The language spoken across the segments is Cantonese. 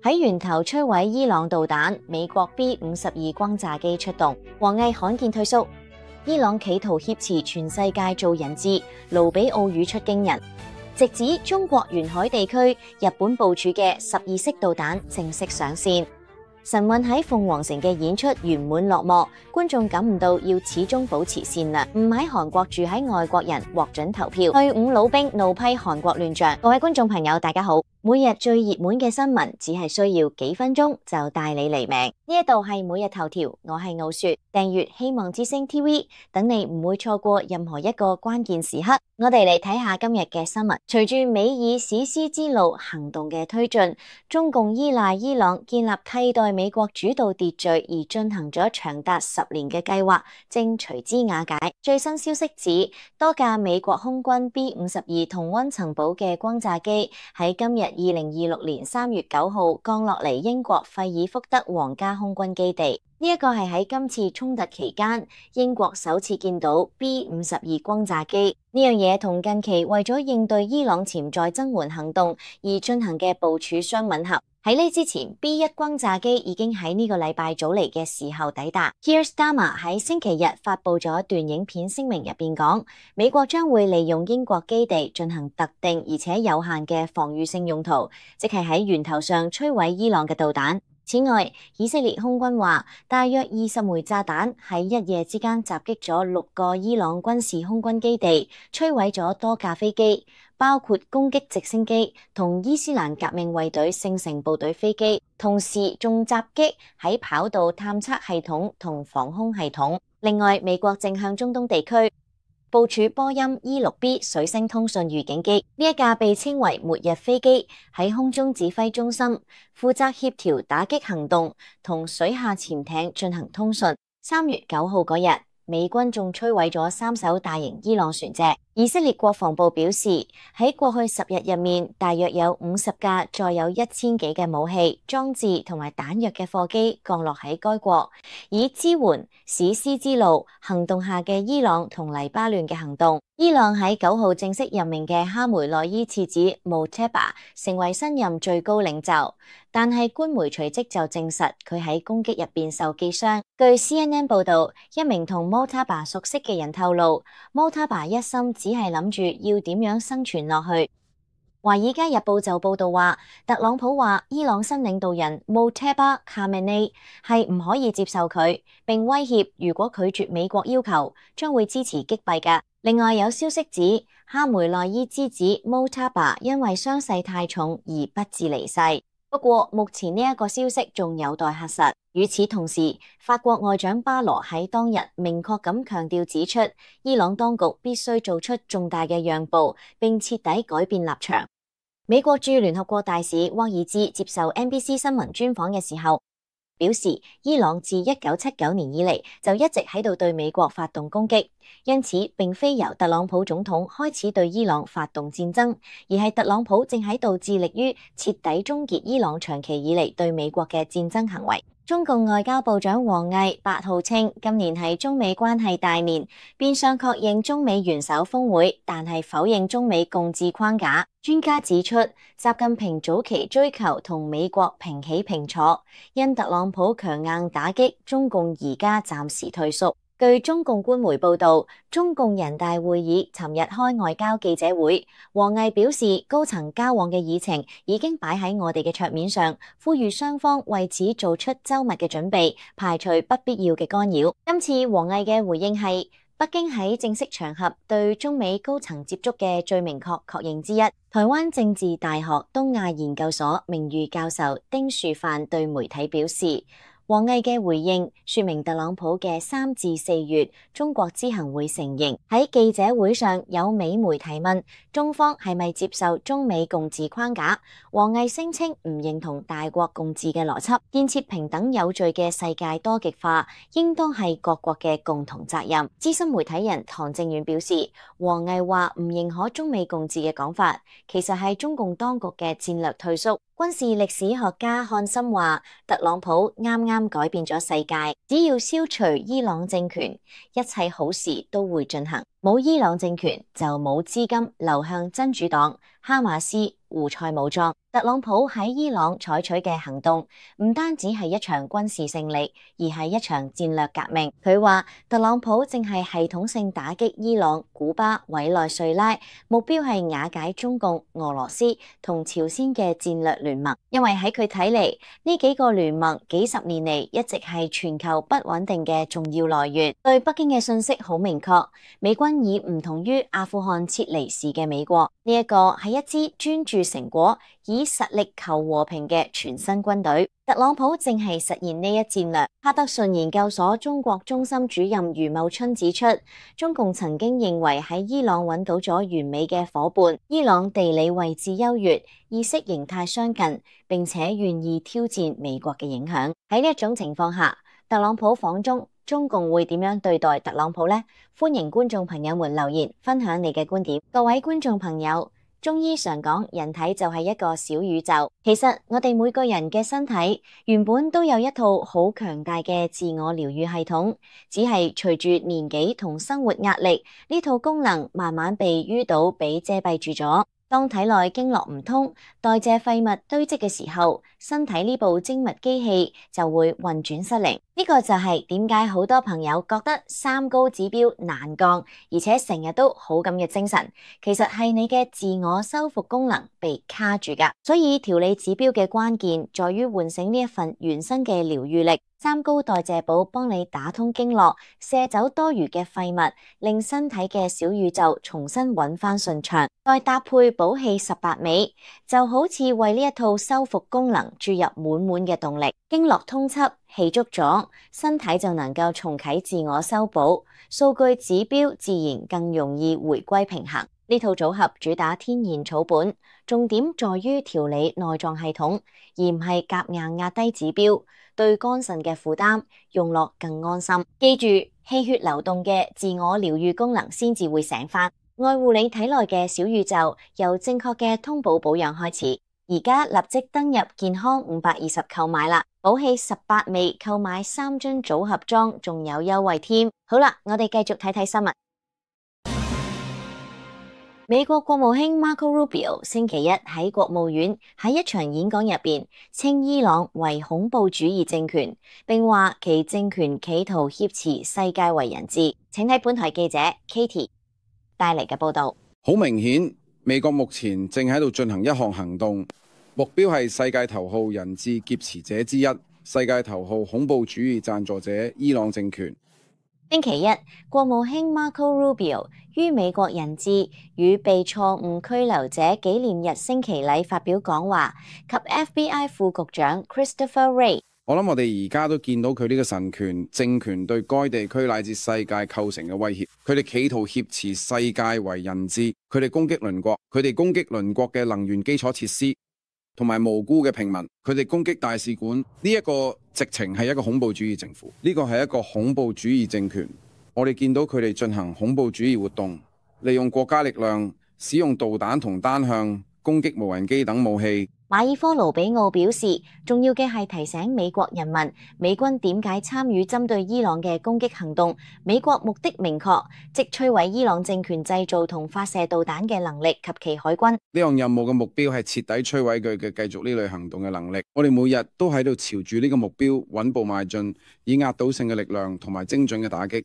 喺源頭摧毀伊朗導彈，美國 B-52轟炸機出動，王毅罕見退縮。伊朗企圖挾持全世界做人質，盧比奧語出驚人，直指中國沿海地區日本部署嘅12式導彈正式上線。神韻喺鳳凰城嘅演出圓滿落幕，觀眾感悟到要始終保持善良。唔喺韓國住喺外國人獲准投票，退伍老兵怒批韓國亂象。各位觀眾朋友，大家好。每日最熱門嘅新聞只係需要幾分鐘就帶你離命。呢一度係每日頭條，我係傲雪，訂閱希望之聲 TV， 等你唔會錯過任何一個關鍵時刻。我哋嚟睇下今日嘅新聞。隨住美以史詩之路行動嘅推進，中共依賴伊朗建立替代美國主導秩序而進行咗長達10年嘅計劃，正隨之瓦解。最新消息指，多架美國空軍 B-52同溫層堡嘅轟炸機喺今日2026年3月9號降落嚟英國費爾福德皇家空軍基地。呢一個係喺今次衝突期間，英國首次見到 B-52轟炸機。呢樣嘢同近期為咗應對伊朗潛在增援行動而進行嘅部署相吻合。喺呢之前 B-1轟炸機已經喺呢個禮拜早嚟嘅時候抵達。Keir Starmer 喺星期日發佈咗段影片聲明入邊講，美國將會利用英國基地進行特定而且有限嘅防禦性用途，即係喺源頭上摧毀伊朗嘅導彈。此外，以色列空軍話，大約20枚炸彈喺一夜之間襲擊咗6個伊朗軍事空軍基地，摧毀咗多架飛機，包括攻擊直升機同伊斯蘭革命衛隊聖城部隊飛機，同時仲襲擊喺跑道探測系統同防空系統。另外，美國正向中東地區部署波音 E-6B 水星通訊預警機，呢一架被稱為末日飛機，喺空中指揮中心負責協調打擊行動同水下潛艇進行通訊。3月9號嗰日，美軍仲摧毀咗3艘大型伊朗船隻。以色列國防部表示，喺過去10日入面，大約有50架載有1000幾嘅武器、裝置同埋彈藥嘅貨機降落喺該國，以支援史詩之路行動下嘅伊朗同黎巴嫩嘅行動。伊朗喺9號正式任命嘅哈梅內伊次子 Mojtaba 成為新任最高領袖，但係官媒隨即就證實佢喺攻擊入邊受擊傷。據 CNN 報道，一名同 Mojtaba 熟悉嘅人透露，Mojtaba 一心只係諗住要點樣生存落去。華爾街日報就報道話，特朗普話伊朗新領導人 Mojtaba Khamenei 係唔可以接受佢，並威脅如果拒絕美國要求，將會支持擊斃㗎。另外有消息指，哈梅內伊之子 Mojtaba 因為傷勢太重而不治離世。不過目前呢一個消息仲有待核實。與此同時，法國外長巴羅喺當日明確咁強調指出，伊朗當局必須做出重大嘅讓步，並徹底改變立場。美國駐聯合國大使沃爾茲接受 NBC 新聞專訪嘅時候表示，伊朗自1979年以嚟就一直喺度對美國發動攻擊，因此並非由特朗普總統開始對伊朗發動戰爭，而係特朗普正喺度致力於徹底終結伊朗長期以嚟對美國嘅戰爭行為。中共外交部長王毅8號稱，今年係中美關係大年，變相確認中美元首峰會，但係否認中美共治框架。專家指出，習近平早期追求同美國平起平坐，因特朗普強硬打擊，中共而家暫時退縮。據中共官媒報道，中共人大會議尋日開外交記者會，王毅表示高層交往嘅議程已經擺喺我哋嘅桌面上，呼籲雙方為此做出周密嘅準備，排除不必要嘅干擾。今次王毅嘅回應係北京喺正式場合對中美高層接觸嘅最明確確認之一。台灣政治大學東亞研究所名譽教授丁樹範對媒體表示，王毅嘅回應說明特朗普嘅3至4月中國之行會成形。喺記者會上有美媒提問中方係咪接受中美共治框架，王毅聲稱唔認同大國共治嘅邏輯，建設平等有序嘅世界多極化應當係各國嘅共同責任。資深媒體人唐正遠表示，王毅話唔認可中美共治嘅講法，其實係中共當局嘅戰略退縮。軍事歷史學家漢森話，特朗普啱啱改變咗世界，只要消除伊朗政權，一切好事都會進行。冇伊朗政權就冇資金流向真主黨、哈馬斯、胡塞武裝。特朗普喺伊朗採取嘅行動唔單止係一場軍事勝利，而係一場戰略革命。佢話特朗普正係系統性打擊伊朗、古巴、委內瑞拉，目標係瓦解中共、俄羅斯同朝鮮嘅戰略聯盟。因為喺佢睇嚟，呢幾個聯盟幾十年嚟一直係全球不穩定嘅重要來源。對北京嘅信息好明確，美軍以唔同於阿富汗撤離時嘅美國，呢一個係一支專注成果、以實力求和平嘅全新軍隊。特朗普正係實現呢一戰略。哈德遜研究所中國中心主任余茂春指出，中共曾經認為喺伊朗揾到咗完美嘅夥伴，伊朗地理位置優越，意識形態相近，並且願意挑戰美國嘅影響。喺呢一種情況下，特朗普訪中共會點樣對待特朗普呢？歡迎觀眾朋友們留言分享你嘅觀點。各位觀眾朋友，中醫常講人體就係一個小宇宙，其實我哋每個人嘅身體原本都有一套好強大嘅自我療愈系統，只係隨住年紀同生活壓力，呢套功能慢慢被淤堵、被遮蔽住咗。當體內經絡唔通，代謝廢物堆積嘅時候，身體呢部精密機器就會運轉失靈。呢個就係點解好多朋友覺得三高指標難降，而且成日都好咁嘅精神，其實係你嘅自我修復功能被卡住㗎。所以調理指標嘅關鍵在於喚醒呢一份原生嘅療愈力。三高代謝寶幫你打通經絡，卸走多餘嘅廢物，令身體嘅小宇宙重新揾返順暢。再搭配補氣18味，就好似為呢一套修復功能注入滿滿嘅動力。經絡通緝，氣足咗，身體就能夠重啟自我修補，數據指標自然更容易回歸平衡。呢套組合主打天然草本，重點在於調理內臟系統，而唔係夾硬壓低指標，對肝腎嘅負擔用落更安心。記住，氣血流動嘅自我療愈功能先至會醒返。愛護你體內嘅小宇宙，由正確嘅通補保養開始。而家立即登入健康520購買啦！補氣18味購買3樽組合裝，仲有優惠添。好啦，我哋繼續睇睇新聞。美國國務卿 Marco Rubio 星期一喺國務院喺一場演講入邊，稱伊朗為恐怖主義政權，並話其政權企圖挾持世界為人質。請睇本台記者 Katie 帶嚟嘅報道。好明顯，美國目前正喺度進行一項行動，目標係世界頭號人質劫持者之一、世界頭號恐怖主義贊助者伊朗政權。星期一，國務卿 Marco Rubio 於美國人質與被錯誤拘留者紀念日升旗禮發表講話，及 FBI 副局長 Christopher Wray。我諗我哋而家都見到佢呢個神權政權對該地區乃至世界構成嘅威脅。佢哋企圖挾持世界為人質，佢哋攻擊鄰國，佢哋攻擊鄰國嘅能源基礎設施同埋無辜嘅平民，佢哋攻擊大使館。呢一個直情係一個恐怖主義政府，呢個係一個恐怖主義政權。我哋見到佢哋進行恐怖主義活動，利用國家力量，使用導彈同單向攻擊無人機等武器。馬爾科盧比奧表示，重要嘅係提醒美國人民，美軍點解參與針對伊朗嘅攻擊行動。美國目的明確，即摧毀伊朗政權製造同發射導彈嘅能力及其海軍。呢項任務嘅目標係徹底摧毀佢嘅繼續呢類行動嘅能力。我哋每日都喺度朝住呢個目標穩步邁進，以壓倒性嘅力量同埋精準嘅打擊。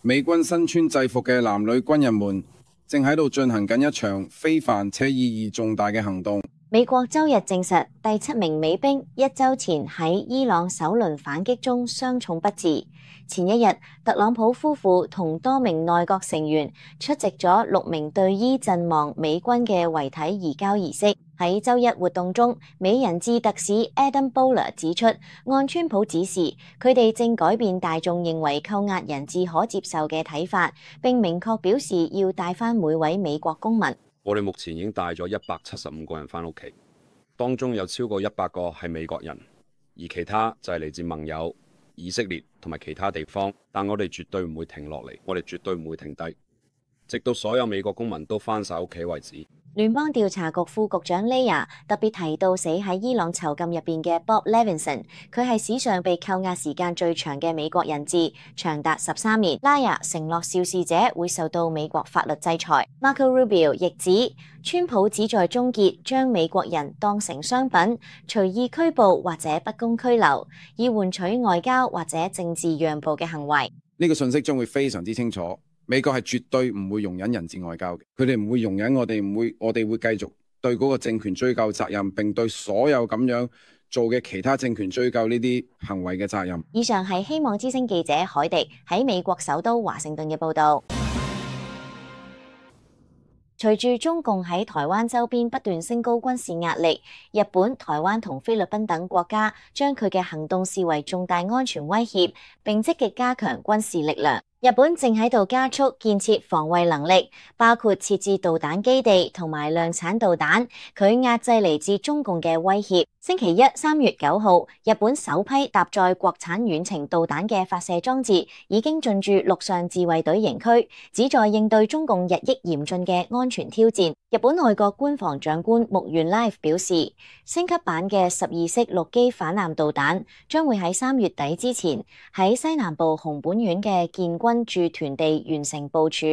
美軍身穿制服嘅男女軍人們正喺度進行緊一場非凡且意義重大嘅行動。美國周日證實，第7名美兵1週前喺伊朗首輪反擊中傷重不治。前一日，特朗普夫婦同多名內閣成員出席咗6名隊醫陣亡美軍嘅遺體移交儀式。喺周一活動中，美人質特使 Adam Boehler 指出，按川普指示，佢哋正改變大眾認為扣押人質可接受嘅睇法，並明確表示要帶返每位美國公民。我哋目前已經帶咗175個人返屋企，當中有超過100個係美國人，而其他就係嚟自盟友、以色列同埋其他地方。但我哋絕對唔會停落嚟，我哋絕對唔會停低，直到所有美國公民都返晒屋企為止。聯邦調查局副局長 Leah 特別提到死喺伊朗囚禁入邊嘅 Bob Levinson， 佢係史上被扣押時間最長嘅美國人質，長達13年。Leah 承諾肇事者會受到美國法律制裁。Marco Rubio 亦指，川普旨在終結將美國人當成商品，隨意拘捕或者不公拘留，以換取外交或者政治讓步嘅行為。呢個信息將會非常之清楚。美國係絕對唔會容忍人質外交嘅，佢哋唔會容忍我哋會繼續對嗰個政權追究責任，並對所有咁樣做嘅其他政權追究呢啲行為嘅責任。以上係希望之聲記者海迪喺美國首都華盛頓嘅報導。隨住中共喺台灣周邊不斷升高軍事壓力，日本、台灣同菲律賓等國家將佢嘅行動視為重大安全威脅，並積極加強軍事力量。日本正喺度加速建設防衛能力，包括設置導彈基地同埋量產導彈，佢壓制嚟自中共嘅威脅。星期一3月9號，日本首批搭載國產遠程導彈嘅發射裝置已經進駐陸上自衛隊營區，旨在應對中共日益嚴峻嘅安全挑戰。日本內閣官房長官木原 Life 表示，升級版嘅12式陸基反艦導彈將會喺3月底之前喺西南部熊本縣嘅建軍駐屯地完成部署，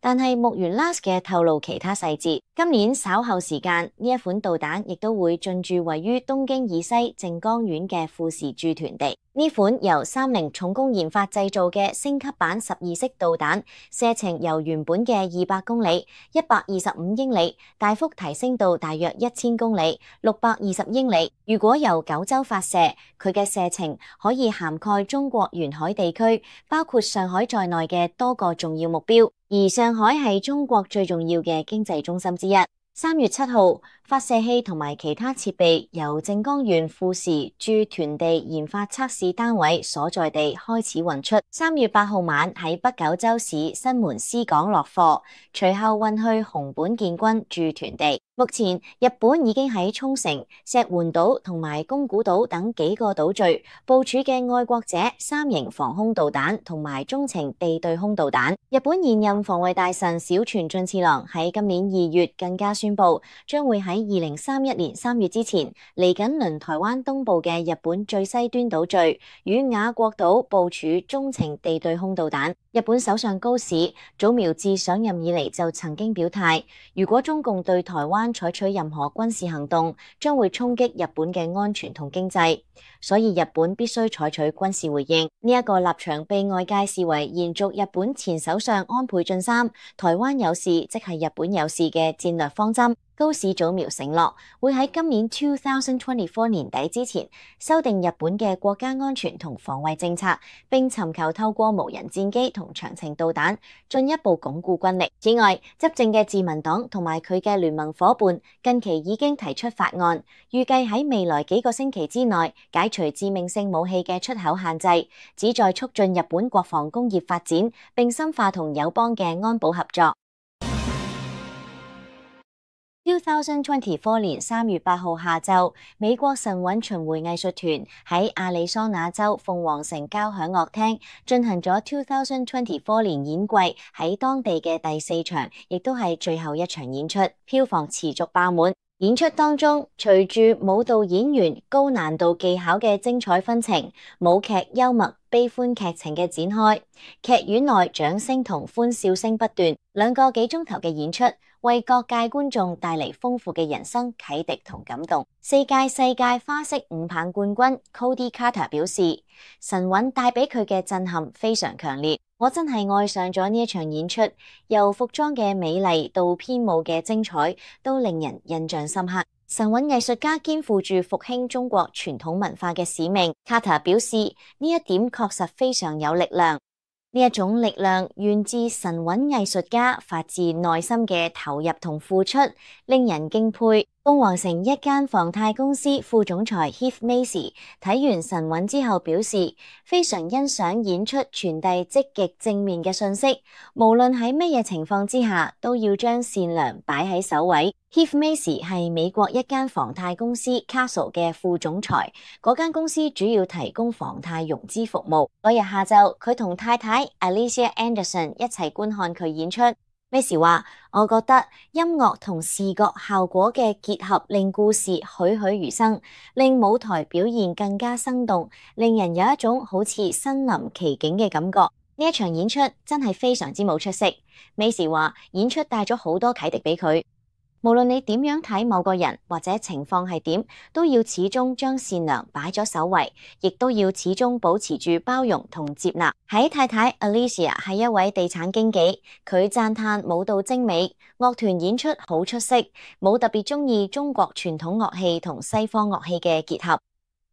但係木原 Life 嘅透露其他細節。今年稍後時間，呢一款導彈亦都會進駐位於東京以西靜岡縣嘅富士駐屯地。呢款由30重工研發製造嘅升級版12式導彈，射程由原本嘅200公里、125英里，大幅提升到大約1000公里、620英里。如果由九州發射，佢嘅射程可以涵蓋中國沿海地區，包括上海在內嘅多個重要目標。而上海係中國最重要嘅經濟中心之一。3月7號，發射器同埋其他設備由靜岡縣富士駐屯地研發測試單位所在地開始運出。3月8號晚喺北九州市新門司港落貨，隨後運去熊本建軍駐屯地。目前，日本已經喺沖繩、石垣島同埋宮古島等幾個島嶼部署嘅愛國者3型防空導彈同埋中程地對空導彈。日本現任防衛大臣小泉進次郎喺今年2月更加宣布，將會喺2031年3月之前嚟緊鄰台灣東部嘅日本最西端島嶼與雅國島部署中程地對空導彈。日本首相高市早苗自上任以嚟就曾經表態，如果中共對台灣採取任何軍事行動，將會衝擊日本嘅安全同經濟，所以日本必須採取軍事回應。呢一個立場被外界視為延續日本前首相安倍晉三台灣有事即係日本有事嘅戰略方針。高市早苗承諾會喺今年2024年底之前修訂日本嘅國家安全同防衛政策，並尋求透過無人戰機同長程導彈進一步鞏固軍力。此外，執政嘅自民黨同埋佢嘅聯盟夥伴近期已經提出法案，預計喺未來幾個星期之內解除致命性武器嘅出口限制，旨在促進日本國防工業發展，並深化同友邦嘅安保合作。2024年3月8號下晝，美國神韻巡迴藝術團喺亞利桑那州鳳凰城交響樂廳進行咗2024年演季喺當地嘅第4場，亦都係最後一場演出，票房持續爆滿。演出當中，隨住舞蹈演員高難度技巧嘅精彩紛呈，舞劇幽默悲歡劇情嘅展開，劇院內掌聲同歡笑聲不斷，2個幾鐘頭嘅演出，為各界觀眾帶嚟豐富嘅人生啟迪同感動。4屆世界花式5棒冠軍 Cody Carter 表示，神韻帶俾佢嘅震撼非常強烈，我真係愛上咗呢一場演出，由服裝嘅美麗到編舞嘅精彩，都令人印象深刻。神韻藝術家肩負住復興中國傳統文化嘅使命。Carter 表示，呢一點確實非常有力量。呢一種力量源自神韻藝術家發自內心嘅投入同付出，令人敬佩。鳳凰城一間房貸公司副總裁 Heath Macy 睇完神韻之後表示，非常欣賞演出傳遞積極正面嘅信息，無論喺乜嘢情況之下，都要將善良擺喺首位。Heath Macy 係美國一間房貸公司 Castle 嘅副總裁，嗰間公司主要提供房貸融資服務。嗰日下晝，佢同太太 Alicia Anderson 一齊觀看佢演出。Macy 話：我覺得音樂同視覺效果嘅結合令故事栩栩如生，令舞台表現更加生動，令人有一種好似身臨其境嘅感覺。呢一場演出真係非常之冇出息。Macy 話：演出帶咗好多啟迪俾佢。無論你點樣睇某個人或者情況係點，都要始終將善良擺咗首位，亦都要始終保持住包容同接納。喺太太 Alicia 係一位地產經紀，佢讚嘆舞蹈精美，樂團演出好出色，冇特別鍾意中國傳統樂器同西方樂器嘅結合。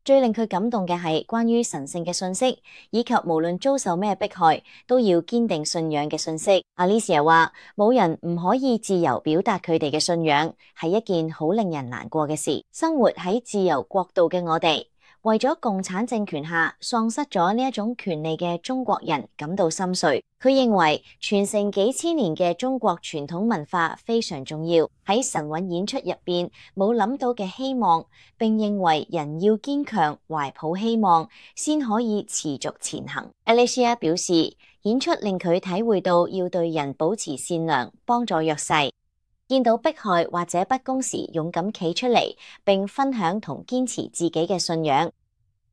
最令佢感動嘅係關於神聖嘅信息，以及無論遭受咩迫害，都要堅定信仰嘅信息。Alicia 話：冇人唔可以自由表達佢哋嘅信仰，係一件好令人難過嘅事。生活喺自由國度嘅我哋，為咗共產政權下喪失咗呢一種權利嘅中國人感到心碎。佢認為傳承幾千年嘅中國傳統文化非常重要，喺神韻演出入邊冇諗到嘅希望，並認為人要堅強，懷抱希望，先可以持續前行。Alicia 表示，演出令佢體會到要對人保持善良，幫助弱勢，見到迫害或者不公時勇敢企出嚟，並分享同堅持自己嘅信仰。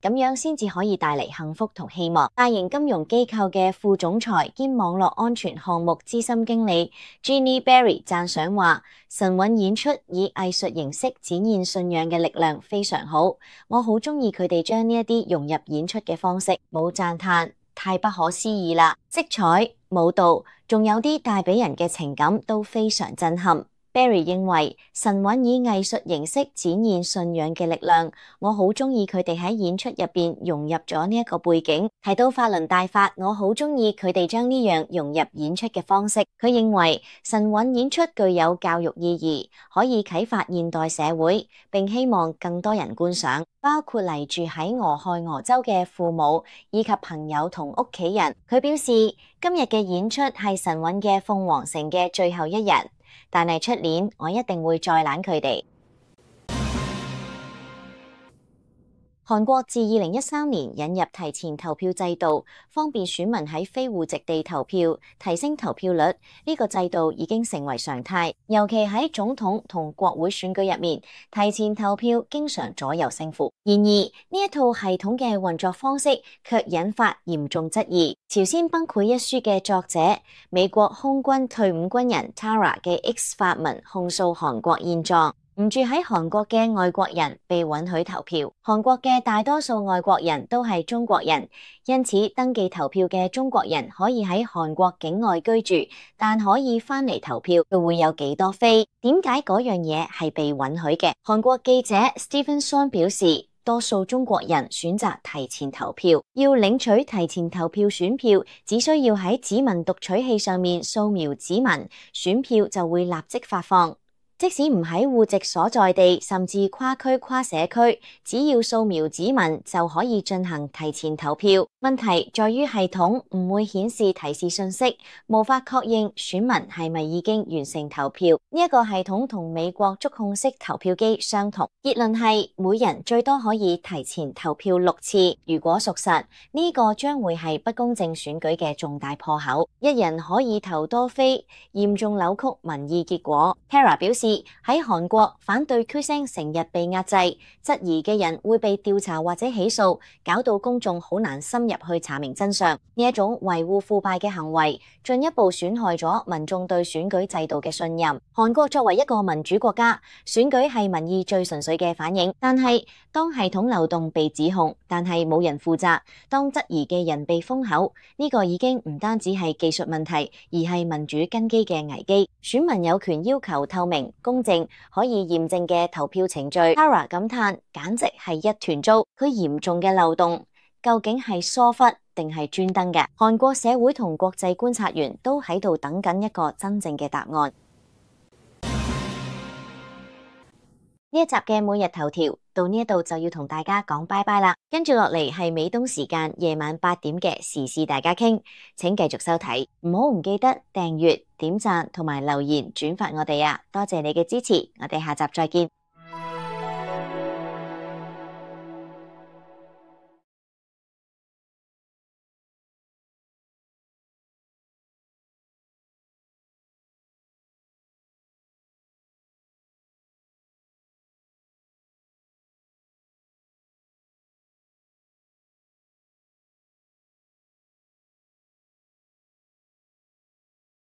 咁樣先至可以帶嚟幸福同希望。大型金融機構嘅副總裁兼網絡安全項目資深經理 Jeannie Berry 讚賞話：神韻演出以藝術形式展現信仰嘅力量非常好，我好鍾意佢哋將呢一啲融入演出嘅方式，冇讚嘆，太不可思議啦！色彩、舞蹈，仲有啲帶俾人嘅情感都非常震撼。Berry 認為神韻以藝術形式展現信仰嘅力量，我好鍾意佢哋喺演出入邊融入咗呢一個背景。提到法輪大法，我好鍾意佢哋將呢樣融入演出嘅方式。佢認為神韻演出具有教育意義，可以啟發現代社會，並希望更多人觀賞，包括嚟住喺俄亥俄州嘅父母以及朋友同屋企人。佢表示今日嘅演出係神韻嘅鳳凰城嘅最後一日。但係出年我一定會再攬佢哋。韓國自2013年引入提前投票制度，方便選民喺非戶籍地投票，提升投票率。呢個制度已經成為常態，尤其喺總統同國會選舉入面，提前投票經常左右勝負。然而呢一套系統嘅運作方式卻引發嚴重質疑。朝鮮崩潰一書嘅作者、美國空軍退伍軍人 Tara 嘅 X 發文控訴韓國現狀。唔住喺韓國嘅外國人被允許投票，韓國嘅大多數外國人都係中國人，因此登記投票嘅中國人可以喺韓國境外居住，但可以返嚟投票，佢會有幾多飛？點解嗰樣嘢係被允許嘅？韓國記者 Stephen Son 表示，多數中國人選擇提前投票，要領取提前投票選票，只需要喺指紋讀取器上面掃描指紋，選票就會立即發放。即使唔喺戶籍所在地，甚至跨區跨社區，只要掃描指紋就可以進行提前投票。問題在於系統唔會顯示提示信息，無法確認選民係咪已經完成投票。呢一個系統同美國觸控式投票機相同。結論係每人最多可以提前投票6次。如果屬實，呢個將會係不公正選舉嘅重大破口。一人可以投多飛，嚴重扭曲民意結果。Tara 表示，喺韓國反對區聲成日被壓制，質疑嘅人會被調查或者起訴，搞到公眾好難深入去查明真相。呢一種維護腐敗嘅行為，進一步損害咗民眾對選舉制度嘅信任。韓國作為一個民主國家，選舉係民意最純粹嘅反映。但係當系統漏洞被指控，但係冇人負責，當質疑嘅人被封口，呢個已經唔單止係技術問題，而係民主根基嘅危機。選民有權要求透明、公正、可以驗證嘅投票程序。Tara 感嘆，簡直係一團糟。佢嚴重嘅漏洞究竟係疏忽定係專登嘅？韓國社會同國際觀察員都喺度等緊一個真正嘅答案。呢一集嘅每日頭條到呢一度就要同大家講拜拜啦，跟住落嚟係美東時間夜晚8點嘅時事大家傾，請繼續收睇，唔記得訂閱、點讚同埋留言轉發我哋啊！多謝你嘅支持，我哋下集再見。